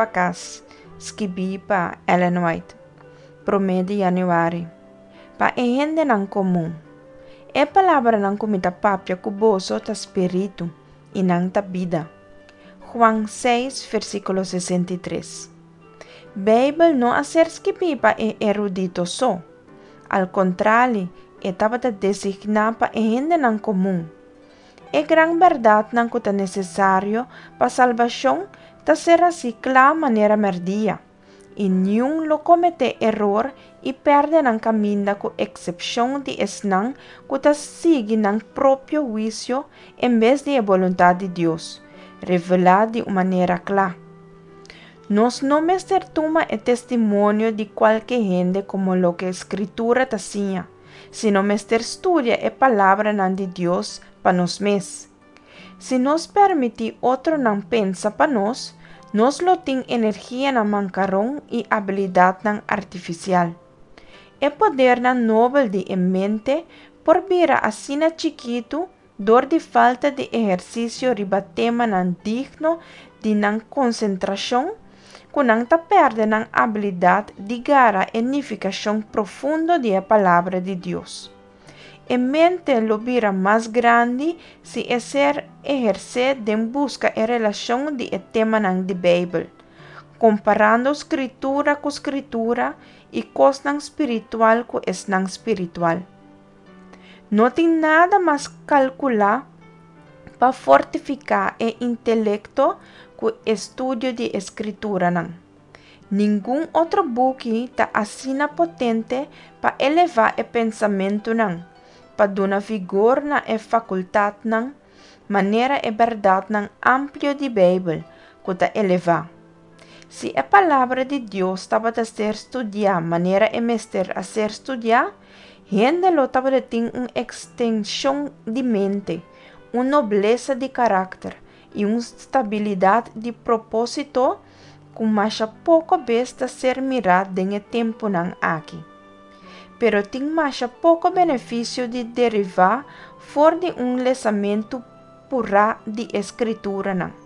pa Kas, skibí pa Ellen White, promé di yanüari. Pa e hendenan komun. E palabranan ku mi ta papia ku boso ta spiritu, i nan ta bida. Juan 6, versíkulo 63. Beibel no a ser skibí pa e erudito so. Al kontrali, e tabata designá pa e hendenan komun. E gran bèrdatnan ku ta nesesario pa salbashon ta ser hasí kla manera mèrdia, i niun lo kometé eror i pèrdè nan kaminda ku eksepshon di esnan ku ta sigui nan propio huisio en bes di e boluntat di Dios, revelá di un manera kla. Nos no mester tuma e testimonio di kualke hende komo loke Skritura ta siña, sino mester studia e palabranan di Dios pa nos mes. Si nos permití otronan pensa pa nos, nos lo tin energianan mankaron i abilidatnan artifisial. E podernan nobel di e mente por bira asina chikitu dor di falta di ehersisio riba temanan digno di nan konsentrashon, ku nan ta pèrdè nan abilidat di gara e nifikashon profundo di e Palabra di Dios. E mente lo bira mas grandi si e ser ehersé den buska e relashon di e temanan di Beibel, komparando Skritura ku Skritura i kosnan spiritual ku esnan spiritual. No tin nada mas kalkulá pa fortifiká e intelekto ku estudio di e Skrituranan. Ningun otro buki ta asina potente pa elevá e pensamentunan, pa duna vigor na e fakultatnan, manera e bèrdatnan amplio di Beibel, ku ta elevá. Si e Palabra di Dios tabata ser studiá manera e mester a ser studiá, hende lo tabata tin un ekstenshon di mente, un noblesa di karakter i un stabilidat di propósito ku masha poko bes ta ser mirá den e tempunan aki. Pero tin masha poko benefisio di derivá for di un lesamentu purá di e Skrituranan.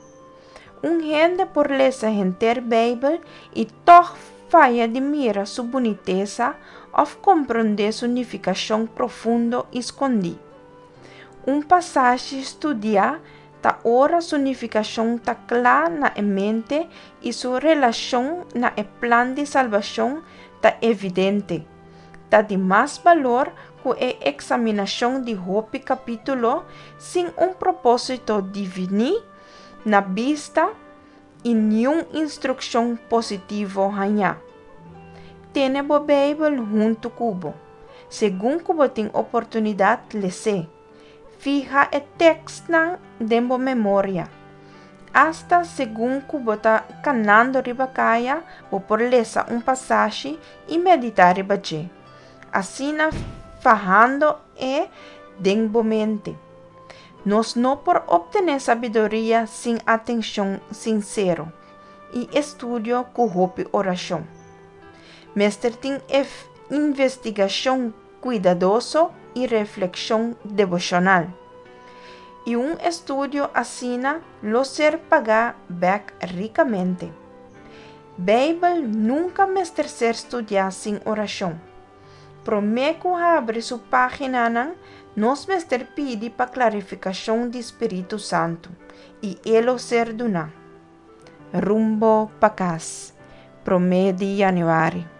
Un hende por lesa henter Beibel i tòg faya di mira su bunitesa òf komprondé su nifikashon profundo i skondí. Un pasashi studiá ta ora su nifikashon ta kla na e mente i su relashon na e plan di salbashon ta evidente. Ta di mas balor ku e eksaminashon di hopi kapítulo sin un propósito diviní na bista i niun instrukshon positivo hañá. Tene bo Beibel huntu ku bo. Segun ku bo tin oportunidat, les'é. Fiha e tekstnan den bo memoria. Asta segun ku bo ta kanando riba kaya, bo por lesa un pasashi i meditá riba dje, asina fahando e den bo mente. Nos no por obtené sabiduria sin atenshon sinsero i estudio ku hopi orashon. Mester tin investigashon kuidadoso i reflekshon deboshonal. I un estudio asina lo ser pagá bèk rikamente. Beibel nunka mester ser studiá sin orashon. Promé ku habri su páginanan, nos mester pidi pa klarifikashon di Spiritu Santu, i e lo ser duná. Rumbo pa kas, promé di yanüari.